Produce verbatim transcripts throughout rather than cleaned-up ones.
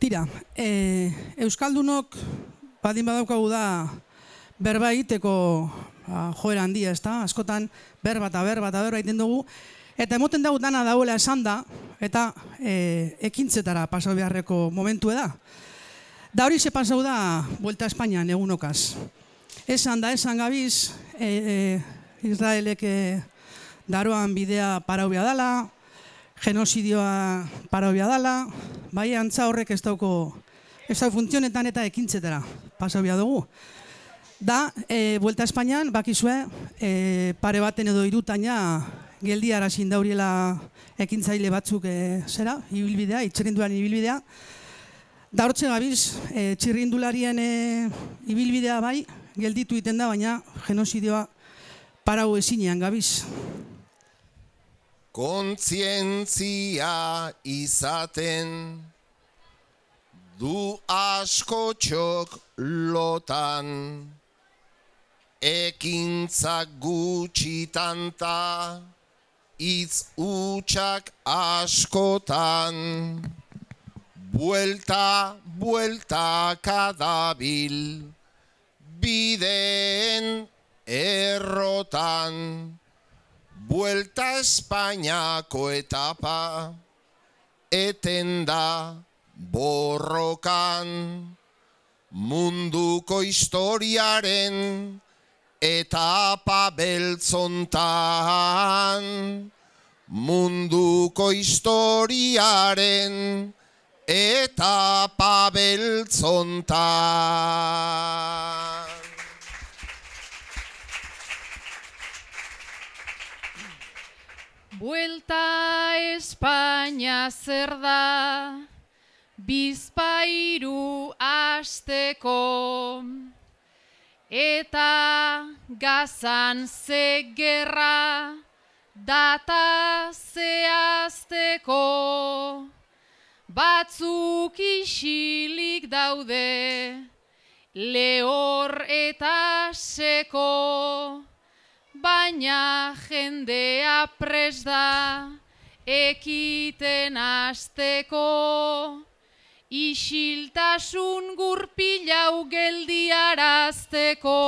Tira, e, Euskaldunok badin badaukagu da berba egiteko ba, joera handia, ez da? Askotan berba eta berba eta berba egiten dugu. Eta emoten dugu dana dauela esan da, eta e, ekintzetara pasau beharreko momentu da. Da hori se pasau da Buelta a Espainian egunokaz. Esan da, esan gabiz, e, e, Israelek e, daroan bidea paraubia dala, genozidioa paraubia dala, bai antza horrek ez dauko, ez dauko funtzionetan eta ekintzetara pasaubia dugu. Da, e, Buelta a Espainian, bakizue, e, pare baten edo irutaina geldi arazin dauriela ekintzaile batzuk e, zera, ibilbidea, itxerrinduaren ibilbidea. Da hortze gabiz, e, txirrindularien e, ibilbidea bai, gelditu iten da, baina genozidioa parau ezinean gabiz. Kontzientzia izaten du askotxok lotan, ekintzak gutxitanta, hitz hutsak askotan. Buelta, buelta kadabil, bideen errotan. Buelta Espainiako etapa, eten da borrokan. Munduko historiaren etapa beltzontan. Munduko historiaren etapa beltzontan. Buelta Espainia zer da, bizpahiru asteko, eta Gazan ze gerra data zehazteko. Batzuk isilik daude, lehor eta seko, baina jendea prest da ekiten hasteko. Isiltasun gurpilau geldiarazteko.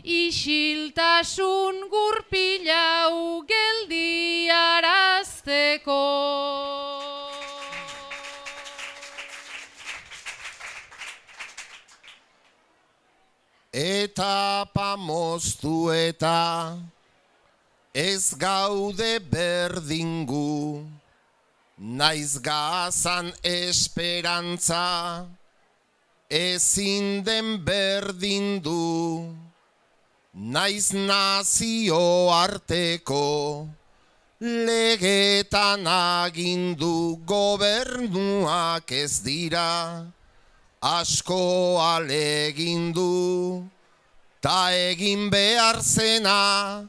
Isiltasun gurpilau geldiarazteko. Etapa moztu eta ez gaude berdingu, naiz Gazan esperantza ezin den berdindu, naiz nazio arteko legetan agindu, gobernuak ez dira asko alegindu, ta egin behar zena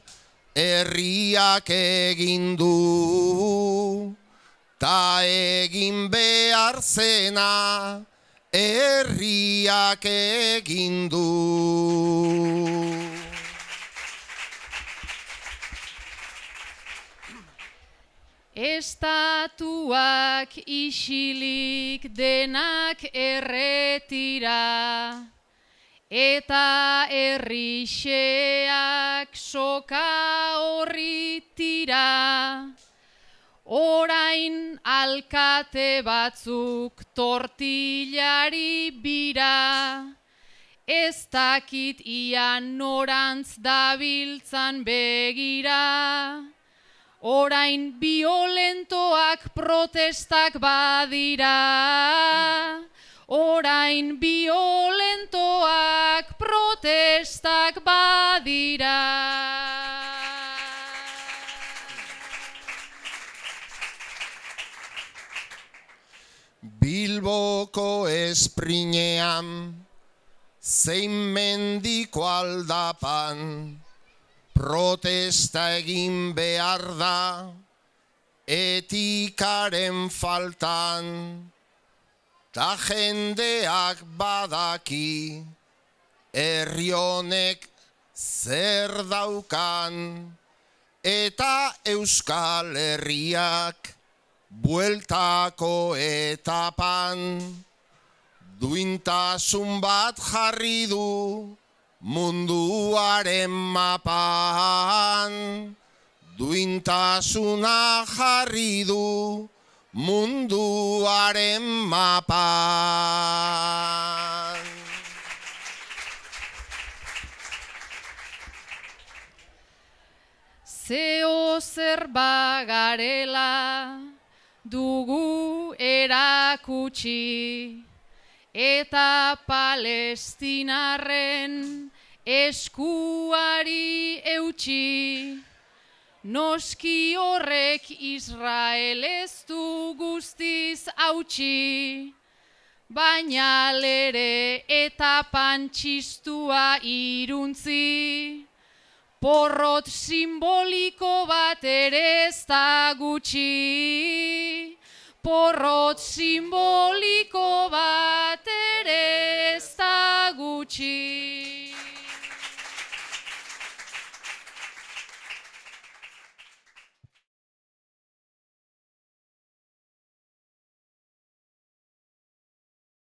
herriak egindu. Ta egin behar zena herriak egindu. Estatuak isilik denak erretira, eta herrixeak soka horri tira. Orain alkate batzuk tortillari bira, ez dakit ia norantz dabiltzan begira. Orain violentoak protestak badira. Orain violentoak protestak badira. Bilboko esprinean, zein mendiko aldapan, protesta egin behar da, etikaren faltan, ta jendeak badaki, herri honek zer daukan, eta Euskal Herriak bueltako etapan, duintasun bat jarri du munduaren mapan. Duintasuna jarri du munduaren mapan. Zeo zer bagarela dugu erakutsi, eta Palestinarren eskuari eutsi. Noski horrek Israel ez du guztiz hautsi, baina lere eta pantxistua iruntzi, porrot simboliko bat ere ez da gutxi. Porrot simboliko bat ere ez da gutxi.